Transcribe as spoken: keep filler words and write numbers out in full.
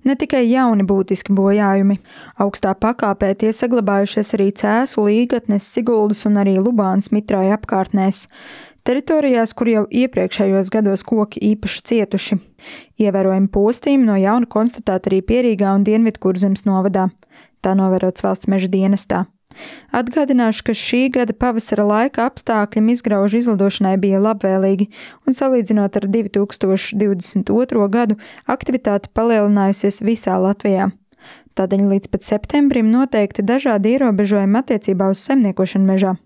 Ne tikai jauni būtiski bojājumi. Augstā pakāpē tie saglabājušies arī Cēsu, Līgatnes, Siguldas un arī Lubānas mitrāja apkārtnēs. Teritorijās, kur jau iepriekšējos gados koki īpaši cietuši. Ievērojami postījumi no jauna konstatēti arī Pierīgā un Dienvidkurzemes novadā. Tā novērots valsts meža dienestā. Atgādināšu, ka šī gada pavasara laika apstākļi izgraužu izlidošanai bija labvēlīgi un salīdzinot ar divi tūkstoši divdesmit otro gadu aktivitāte palielinājusies visā Latvijā. Tādēļ līdz pat septembrim noteikti dažādi ierobežojumi attiecībā uz saimniekošanu mežā.